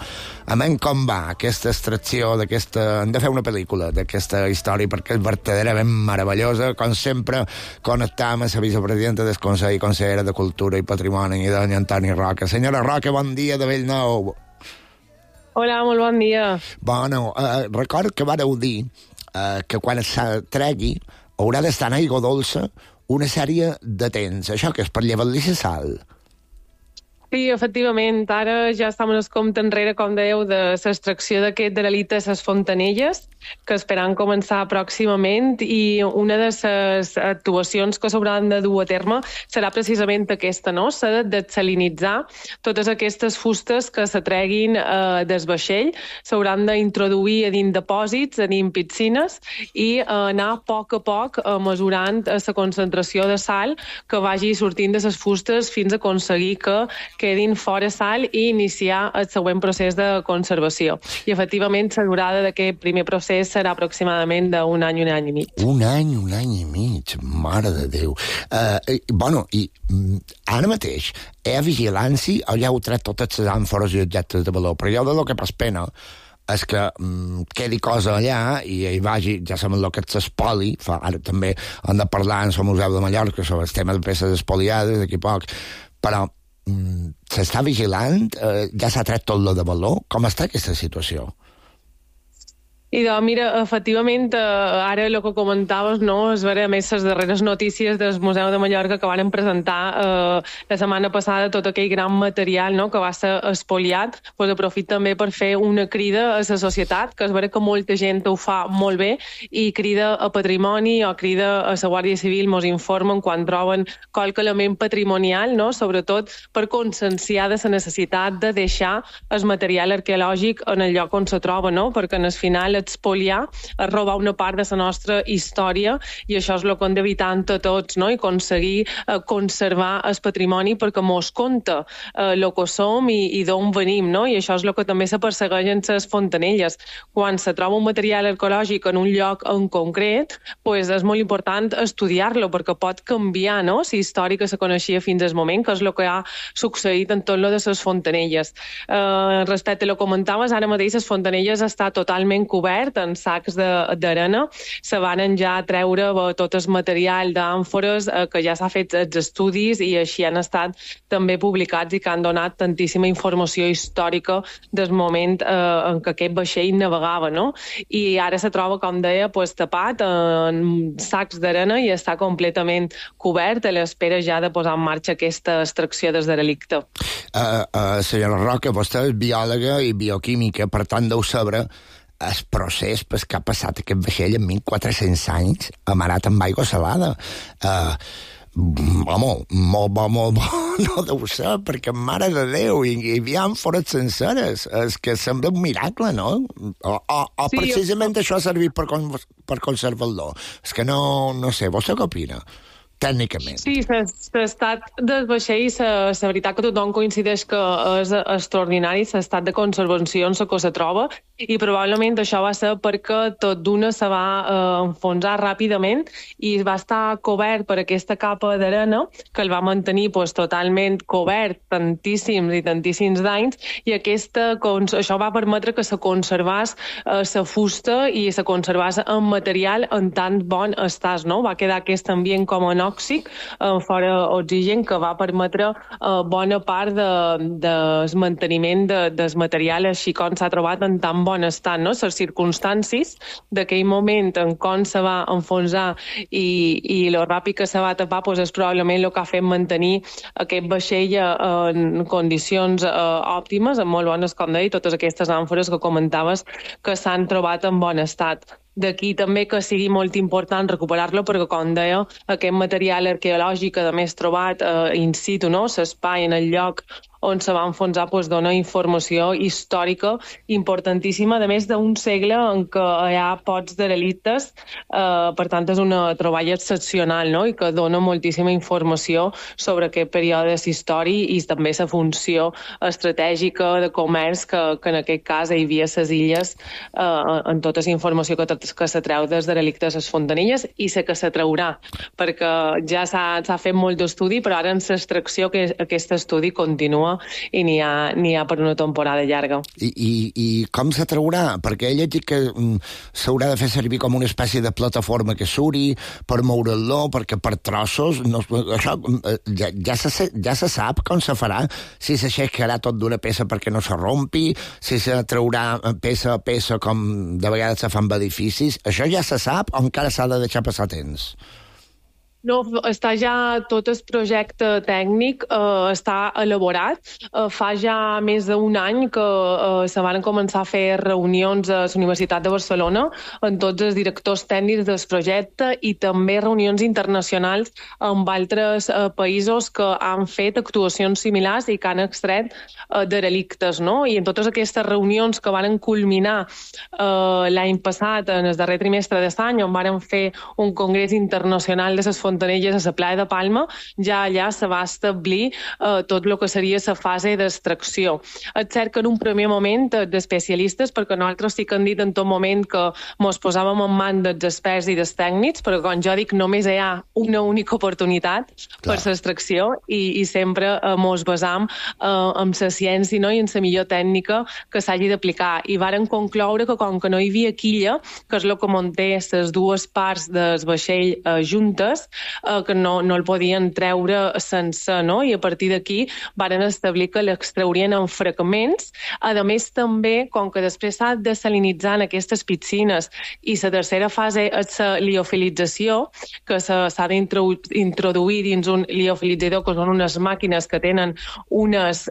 A menys com va aquesta extracció d'aquesta... Hem de fer una pel·lícula d'aquesta història perquè és verdaderament meravellosa. Com sempre, connectam amb la vicepresidenta del Consell, consellera de Cultura i Patrimoni, i doña Antoni Roca. Senyora Roca, bon dia de Bellnou. Hola, molt bon dia. Bueno, record que vareu dir que quan es tregui haurà d'estar en aigua dolça una sèrie de temps. Això que és per llevar-li la sal? Sí, efectivament, ara ja estem en el compte enrere, com dèieu, de l'extracció d'aquest derelite a les Fontanelles, que esperan començar pròximament, i una de les actuacions que s'hauran de dur a terme serà precisament aquesta, no? S'ha de desalinitzar totes aquestes fustes que se treguin del vaixell, s'hauran d'introduir a dins depòsits, a dins piscines, i anar a poc mesurant la concentració de sal que vagi sortint de les fustes fins a aconseguir que quedin fora sal i iniciar el següent procés de conservació. I, efectivament, la durada d'aquest primer procés serà aproximadament d'un any i mig. Un any i mig, mare de Déu. Bueno, i ara mateix, hi ha vigilància o ja heu tret totes les àmfores i objectes de valor? Però jo de lo que pas pena és que quedi cosa allà i hi vagi, ja sabem el que és l'espoli, ara també hem de parlar en el Museu de Mallorca sobre el tema de peces espoliades d'aquí poc, però s'està vigilant? Ja s'ha tret tot lo de valor? Com està aquesta situació? I doncs, mira, efectivament, ara el que comentaves, no, és veure, a més, les darreres notícies del Museu de Mallorca que van presentar la setmana passada tot aquell gran material, no, que va ser espoliat, doncs aprofito també per fer una crida a la societat, que és veure que molta gent ho fa molt bé, i crida a Patrimoni o crida a la Guàrdia Civil, mos informen quan troben qualque element patrimonial, no, sobretot per conscienciar de la necessitat de deixar el material arqueològic en el lloc on se troba, no, perquè en el final expoliar, és robar una part de la nostra història, i això és el que hem d'evitar entre tots, no? I aconseguir conservar el patrimoni perquè mos conta el que som i d'on venim, no? I això és el que també se persegueix en les Fontanelles. Quan se troba un material arqueològic en un lloc en concret, pues és molt important estudiar-lo perquè pot canviar, no? La història que se coneixia fins al moment, que és el que ha succeït en tot lo de les Fontanelles. Respecte a lo que comentaves, ara mateix les Fontanelles està totalment cobert en sacs d'arena. Se van ja treure tot el material d'àmfores que ja s'ha fet els estudis i així han estat també publicats i que han donat tantíssima informació històrica del moment en què aquest vaixell navegava, no? I ara se troba, com deia, tapat en sacs d'arena i està completament cobert a l'espera ja de posar en marxa aquesta extracció del derelicte. Senyora Roca, vostè és biòloga i bioquímica, per tant deu saber el procés per què ha passat aquest vaixell en 1.400 anys amarat amb aigua salada. Home, molt bo, no deu ser, perquè mare de Déu, hi havia àmfores senceres. És que sembla un miracle, no? O precisament això ha servit per conservar-lo. És que no sé, vostè què opina? Tècnicament. Sí, l'estat del vaixell, la veritat que tothom coincideix que és extraordinari, l'estat de conservació en què se troba, i probablement això va ser perquè tot d'una se va enfonsar ràpidament i va estar cobert per aquesta capa d'arena que el va mantenir totalment cobert tantíssims i tantíssims d'anys, i això va permetre que se conservés la fusta i se conservés el material en tan bon estat, no? Va quedar aquest ambient com anòxic, fora oxigen, que va permetre bona part del manteniment del material així com s'ha trobat en tan bon estat, no? Les circumstàncies d'aquell moment en com se va enfonsar i lo ràpid que se va tapar és probablement el que ha fet mantenir aquest vaixell en condicions òptimes, en molt bones, com deia, totes aquestes àmfores que comentaves que s'han trobat en bon estat. D'aquí també que sigui molt important recuperar-lo, perquè, com deia, aquest material arqueològic, a més trobat in situ, no? L'espai en el lloc on se va enfonsar, dona informació històrica importantíssima, a més d'un segle en què hi ha pocs derelictes, per tant és una troballa excepcional, no? I que dona moltíssima informació sobre aquest període històric i també la funció estratègica de comerç que en aquest cas hi havia a les illes, en tota la informació que se treu dels derelictes a les Fontanilles i la que se traurà, perquè ja s'ha fet molt d'estudi, però ara en l'extracció aquest estudi continua i n'hi ha per una temporada llarga. I com se traurà? Perquè he llegit que s'haurà de fer servir com una espècie de plataforma que suri per moure-lo, perquè per trossos això ja se sap com se farà, si s'aixecarà tot d'una peça perquè no se rompi, si se traurà peça a peça com de vegades se fan edificis, això ja se sap o encara s'ha de deixar passar temps? No, està ja tot el projecte tècnic, està elaborat. Fa ja més d'un any que se van començar a fer reunions a la Universitat de Barcelona amb tots els directors tècnics del projecte i també reunions internacionals amb altres països que han fet actuacions similars i que han extret derelictes, no? I en totes aquestes reunions que van culminar l'any passat, en el darrer trimestre d'any, on van fer un congrés internacional de les Fontanelles a la playa de Palma, ja allà se va establir tot el que seria la fase d'extracció. És cert que en un primer moment d'especialistes, perquè nosaltres sí que hem dit en tot moment que ens posàvem en mans dels experts i dels tècnics, però com jo dic, només hi ha una única oportunitat per l'extracció i sempre ens basam en la ciència, no? I en la millor tècnica que s'hagi d'aplicar. I varen concloure que com que no hi havia quilla, que és el que manté les dues parts del vaixell juntes, que no el podien treure sense, no? I a partir d'aquí varen establir que l'extraurien en fragments. A més, també, com que després s'ha de salinitzar en aquestes piscines i la tercera fase és la liofilització, que s'ha d'introduir dins un liofilitzador, que són unes màquines que tenen unes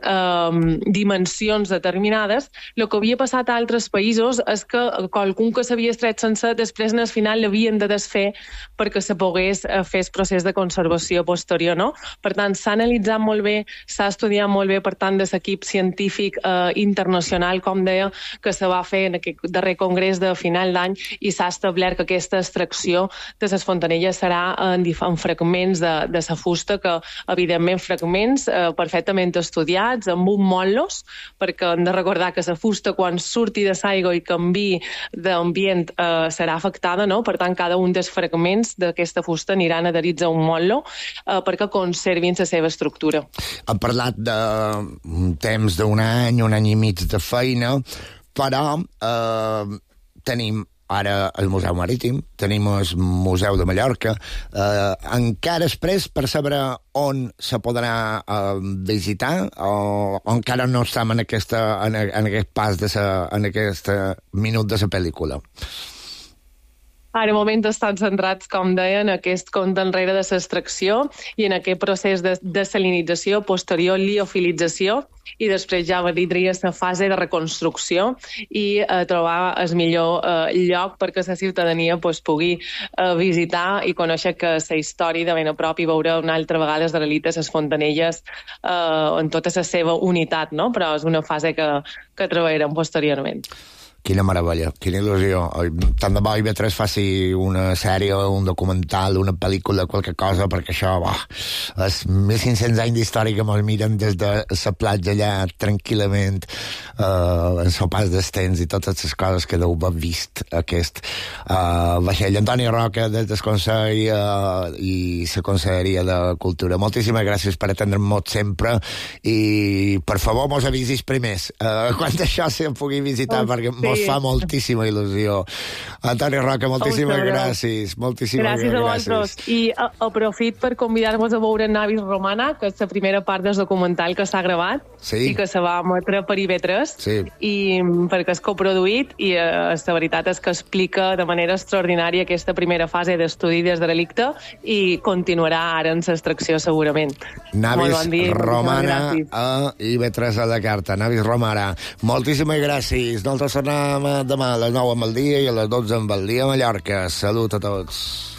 dimensions determinades. El que havia passat a altres països és que qualcun que s'havia extret sense, després en el final l'havien de desfer perquè se pogués fer el procés de conservació posterior, no? Per tant, s'ha analitzat molt bé, s'ha estudiat molt bé, per tant, de l'equip científic internacional, com deia, que se va fer en aquest darrer congrés de final d'any i s'ha establert que aquesta extracció de les fontanelles serà en fragments de la fusta, que, evidentment, fragments perfectament estudiats, amb un mol·los, perquè hem de recordar que la fusta, quan surti de l'aigua i canvi d'ambient, serà afectada, no? Per tant, cada un dels fragments d'aquesta fusta aniran adherits a un mol·lo perquè conservin la seva estructura. Hem parlat de temps d'un any i mig de feina, però tenim ara el Museu Marítim, tenim el Museu de Mallorca, encara després per saber on se podrà visitar o encara no estem en aquest pas, en aquest minut de la pel·lícula? Ara, de moment, estan centrats, com deia, en aquest compte enrere de l'extracció i en aquest procés de desalinització, posterior liofilització, i després ja vindria la fase de reconstrucció i trobar el millor lloc perquè la ciutadania pugui visitar i conèixer que la història de ben a prop i veure una altra vegada els derelictes, les fontanelles, en tota la seva unitat, no? Però és una fase que treballarem posteriorment. Quina meravella, quina il·lusió. Tant de bo IB3 faci una sèrie, un documental, una pel·lícula, qualque cosa, perquè això, és 1.500 anys d'història que mos miren des de la platja allà tranquil·lament, en el pas dels temps i totes les coses que deu haver vist aquest vaixell. Antoni Roca, des del Consell i la Conselleria de Cultura. Moltíssimes gràcies per atendre'm sempre i, per favor, mos avisis primers quan això se pugui visitar, perquè mos fa moltíssima il·lusió. Antoni Roca, moltíssimes gràcies. Gràcies a vosaltres. I aprofit per convidar-vos a veure Navis Romana, que és la primera part del documental que s'ha gravat i que se va emetre per IB3, i perquè és coproduït i la veritat és que explica de manera extraordinària aquesta primera fase d'estudi des de delicte i continuarà ara en l'extracció segurament. Navis Romana a IB3 a la carta. Navis Romana. Moltíssimes gràcies. Nosaltres tornem tornem demà a les 9 amb el dia i a les 12 amb el dia a Mallorca. Salut a tots.